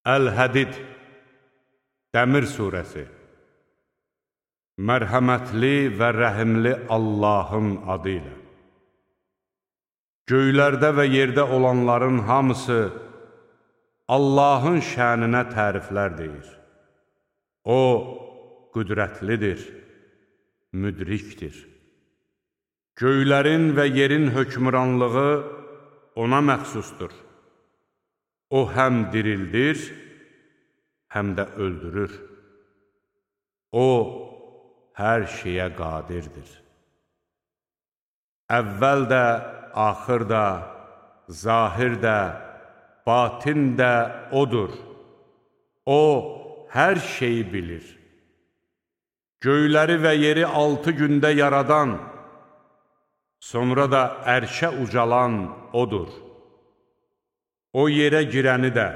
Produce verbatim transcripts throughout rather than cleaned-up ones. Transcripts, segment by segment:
Əl-Hədid Dəmir surəsi. Mərhəmətli və rəhimli Allahın adı ilə. Göylərdə və yerdə olanların hamısı Allahın şəninə təriflər deyir. O, qüdrətlidir, müdrikdir. Göylərin və yerin hökmranlığı ona məxsusdur. O, həm dirildir, həm də öldürür. O, hər şeyə qadirdir. Əvvəl də, axır da, zahir də, batin də O'dur. O, hər şeyi bilir. Göyləri və yeri altı gündə yaradan, sonra da ərşə ucalan O'dur. O, yerə girəni də,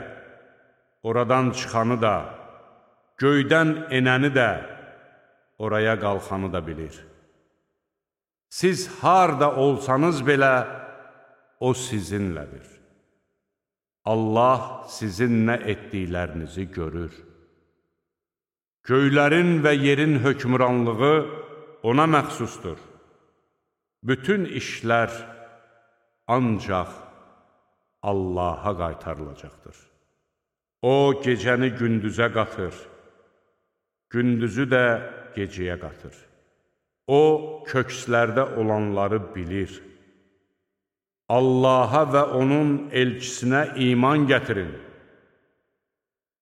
oradan çıxanı da, göydən enəni də, oraya qalxanı da bilir. Siz harda olsanız belə, O sizinlədir. Allah sizin nə etdiklərinizi görür. Göylərin və yerin hökmranlığı ona məxsusdur. Bütün işlər ancaq Allaha qaytarılacaqdır. O, gecəni gündüzə qatır, gündüzü də gecəyə qatır. O, kökslərdə olanları bilir. Allaha və onun elçisinə iman gətirin.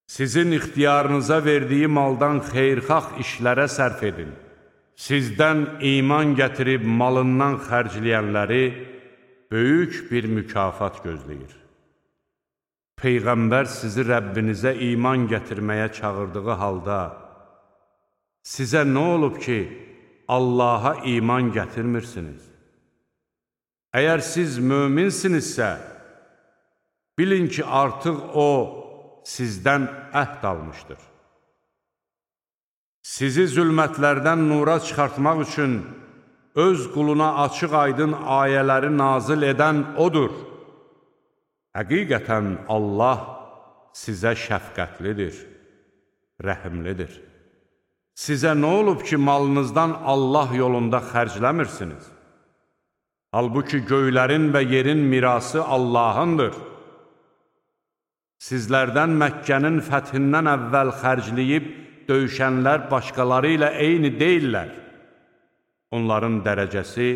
Sizin ixtiyarınıza verdiyi maldan xeyirxah işlərə sərf edin. Sizdən iman gətirib malından xərcləyənləri böyük bir mükafat gözləyir. Peyğəmbər sizi Rəbbinizə iman gətirməyə çağırdığı halda, sizə nə olub ki, Allaha iman gətirmirsiniz? Əgər siz möminsinizsə, bilin ki, artıq O sizdən əhd almışdır. Sizi zülmətlərdən nura çıxartmaq üçün öz quluna açıq-aydın ayələri nazil edən O'dur. Həqiqətən Allah sizə şəfqətlidir, rəhimlidir. Sizə nə olub ki, malınızdan Allah yolunda xərcləmirsiniz? Halbuki göylərin və yerin mirası Allahındır. Sizlərdən Məkkənin fəthindən əvvəl xərcləyib döyüşənlər başqaları ilə eyni deyillər. Onların dərəcəsi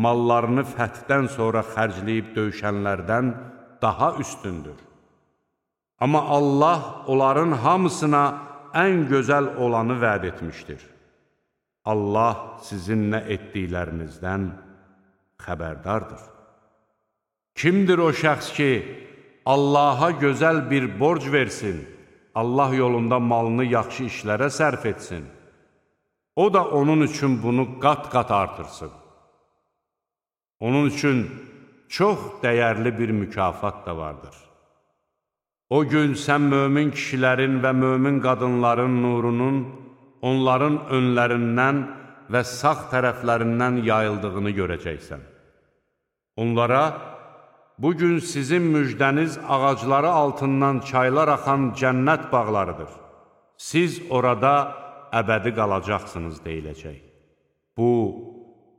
mallarını fəthdən sonra xərcləyib döyüşənlərdən daha üstündür. Amma Allah onların hamısına ən gözəl olanı vəd etmişdir. Allah sizin nə etdiklərinizdən xəbərdardır. Kimdir o şəxs ki, Allaha gözəl bir borc versin, Allah yolunda malını yaxşı işlərə sərf etsin, O da onun üçün bunu qat-qat artırsın. Onun üçün çox dəyərli bir mükafat da vardır. O gün sən mömin kişilərin və mömin qadınların nurunun onların önlərindən və sağ tərəflərindən yayıldığını görəcəksən. Onlara, bugün sizin müjdəniz ağacları altından çaylar axan cənnət bağlarıdır. Siz orada əbədi qalacaqsınız deyiləcək. Bu,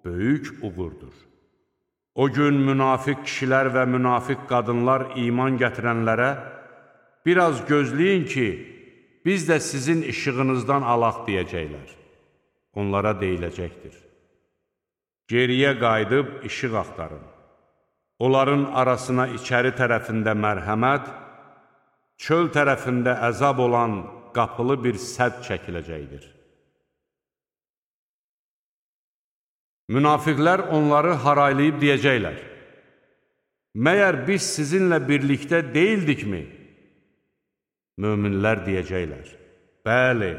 böyük uğurdur. O gün münafiq kişilər və münafiq qadınlar iman gətirənlərə, biraz gözləyin ki, biz də sizin işığınızdan alaq deyəcəklər. Onlara deyiləcəkdir. Geriyə qayıdıb işıq axtarın. Onların arasına içəri tərəfində mərhəmət, çöl tərəfində əzab olan qapılı bir sədd çəkiləcəkdir. Münafiqlər onları haraylayıb deyəcəklər: Məyər biz sizinlə birlikdə deyildikmi? Möminlər deyəcəklər: Bəli,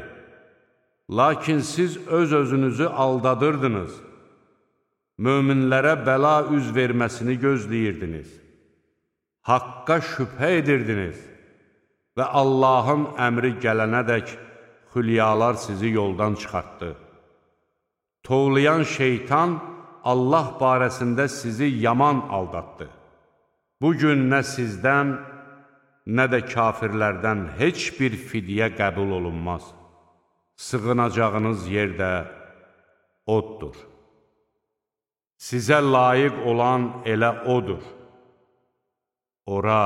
lakin siz öz-özünüzü aldadırdınız, möminlərə bəla üz verməsini gözləyirdiniz, haqqa şübhə edirdiniz və Allahın əmri gələnədək xülyalar sizi yoldan çıxartdı. Tovlayan şeytan Allah barəsində sizi yaman aldatdı. Bugün nə sizdən, nə də kafirlərdən heç bir fidyə qəbul olunmaz. Sığınacağınız yer də oddur. Sizə layiq olan elə odur. Ora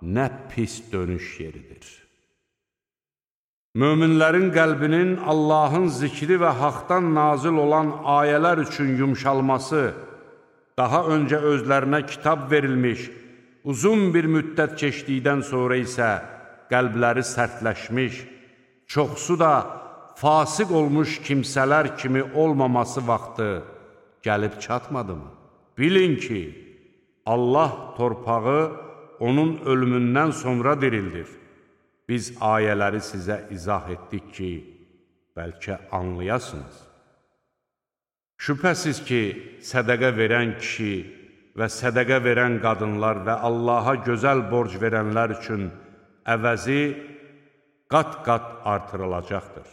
nə pis dönüş yeridir. Möminlərin qəlbinin Allahın zikri və haqdan nazil olan ayələr üçün yumşalması, daha öncə özlərinə kitab verilmiş, uzun bir müddət keçdikdən sonra isə qəlbləri sərtləşmiş, çoxsu da fasıq olmuş kimsələr kimi olmaması vaxtı gəlib çatmadımı? Bilin ki, Allah torpağı onun ölümündən sonra dirildir. Biz ayələri sizə izah etdik ki, bəlkə anlayasınız. Şübhəsiz ki, sədəqə verən kişi və sədəqə verən qadınlar və Allaha gözəl borc verənlər üçün əvəzi qat-qat artırılacaqdır.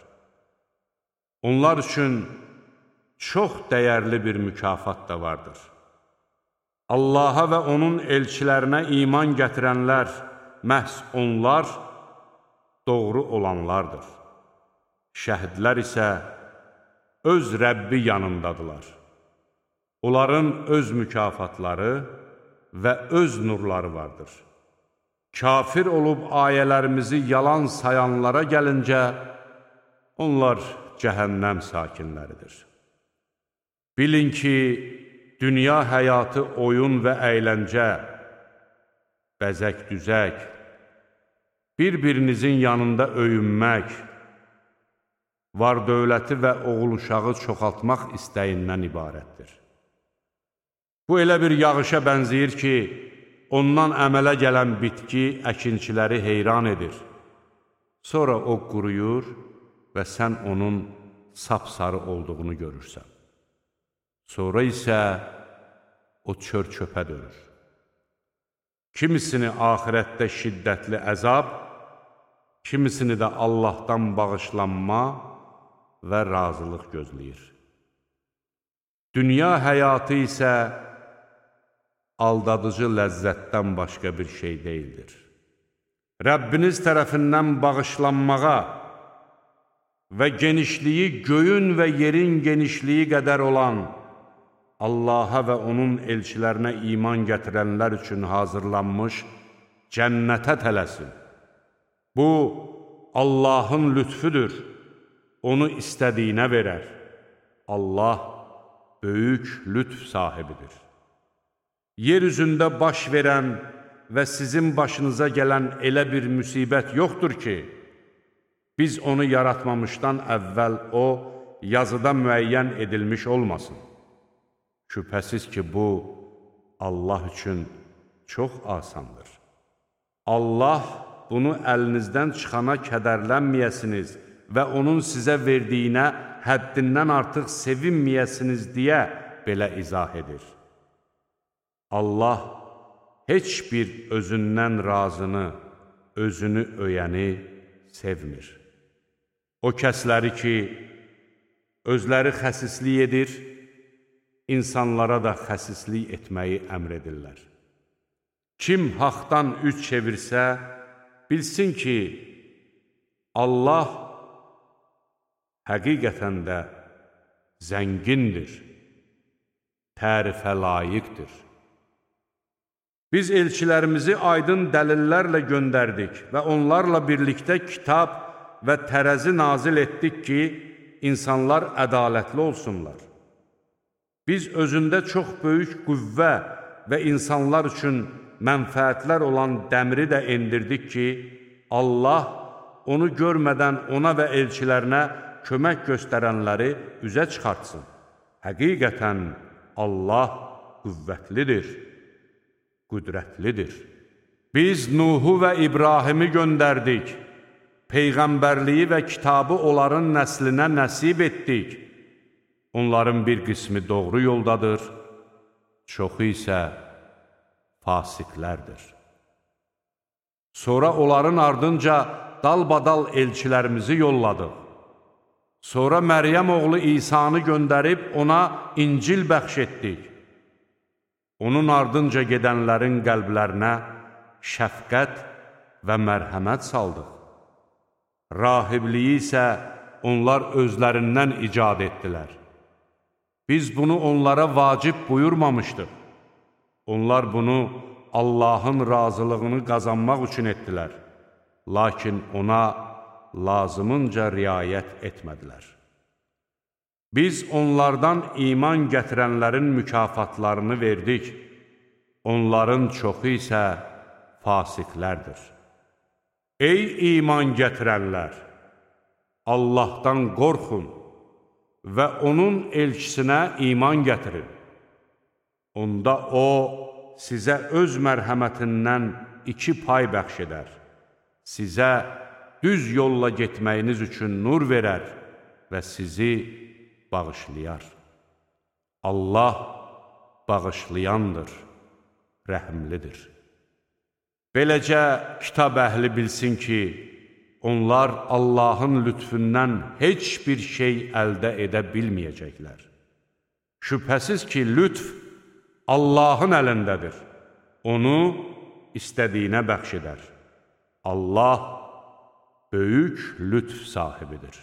Onlar üçün çox dəyərli bir mükafat da vardır. Allaha və onun elçilərinə iman gətirənlər, məhz onlar doğru olanlardır. Şəhidlər isə öz Rəbbi yanındadılar. Onların öz mükafatları və öz nurları vardır. Kafir olub ayələrimizi yalan sayanlara gəlincə, onlar cəhənnəm sakinləridir. Bilin ki, dünya həyatı oyun və əyləncə, bəzək-düzək, bir-birinizin yanında öyünmək, var-dövləti və oğul-uşağı çoxaltmaq istəyindən ibarətdir. Bu elə bir yağışa bənzəyir ki, ondan əmələ gələn bitki əkinçiləri heyran edir. Sonra o quruyur və sən onun sapsarı olduğunu görürsən. Sonra isə o çör-çöpə dönür. Kimisini axirətdə şiddətli əzab, kimisini də Allahdan bağışlanma və razılıq gözləyir. Dünya həyatı isə aldadıcı ləzzətdən başqa bir şey deyildir. Rəbbiniz tərəfindən bağışlanmağa və genişliyi göyün və yerin genişliyi qədər olan Allaha və onun elçilərinə iman gətirənlər üçün hazırlanmış cənnətə tələsin. Bu, Allahın lütfüdür, onu istədiyinə verər. Allah böyük lütf sahibidir. Yer üzündə baş verən və sizin başınıza gələn elə bir müsibət yoxdur ki, biz onu yaratmamışdan əvvəl o, yazıda müəyyən edilmiş olmasın. Şübhəsiz ki, bu, Allah üçün çox asandır. Allah bunu əlinizdən çıxana kədərlənməyəsiniz və onun sizə verdiyinə həddindən artıq sevinməyəsiniz deyə belə izah edir. Allah heç bir özündən razını, özünü öyəni sevmir. O kəsləri ki, özləri xəsislik edir, insanlara da xəsislik etməyi əmr edirlər. Kim haqdan üz çevirsə, bilsin ki, Allah həqiqətən də zəngindir, tərifə layiqdir. Biz elçilərimizi aydın dəlillərlə göndərdik və onlarla birlikdə kitab və tərəzi nazil etdik ki, insanlar ədalətli olsunlar. Biz özündə çox böyük qüvvə və insanlar üçün mənfəətlər olan dəmiri də endirdik ki, Allah onu görmədən ona və elçilərinə kömək göstərənləri üzə çıxartsın. Həqiqətən Allah qüvvətlidir, qüdrətlidir. Biz Nuhu və İbrahimi göndərdik, Peyğəmbərliyi və kitabı onların nəslinə nəsib etdik. Onların bir qismi doğru yoldadır, çoxu isə fasiqlərdir. Sonra onların ardınca dalbadal elçilərimizi yolladıq. Sonra Məryəm oğlu İsanı göndərib ona İncil bəxş etdik. Onun ardınca gedənlərin qəlblərinə şəfqət və mərhəmət saldıq. Rahibliyi isə onlar özlərindən icad etdilər. Biz bunu onlara vacib buyurmamışdıq. Onlar bunu Allahın razılığını qazanmaq üçün etdilər. Lakin ona lazımınca riayət etmədilər. Biz onlardan iman gətirənlərin mükafatlarını verdik. Onların çoxu isə fasiqlərdir. Ey iman gətirənlər! Allahdan qorxun və onun elçisinə iman gətirin. Onda O, sizə öz mərhəmətindən iki pay bəxş edər. Sizə düz yolla getməyiniz üçün nur verər və sizi bağışlayar. Allah bağışlayandır, rəhimlidir. Beləcə, kitab əhli bilsin ki, onlar Allahın lütfündən heç bir şey əldə edə bilməyəcəklər. Şübhəsiz ki, lütf Allahın əlindədir. Onu istədiyinə bəxş edər. Allah böyük lütf sahibidir.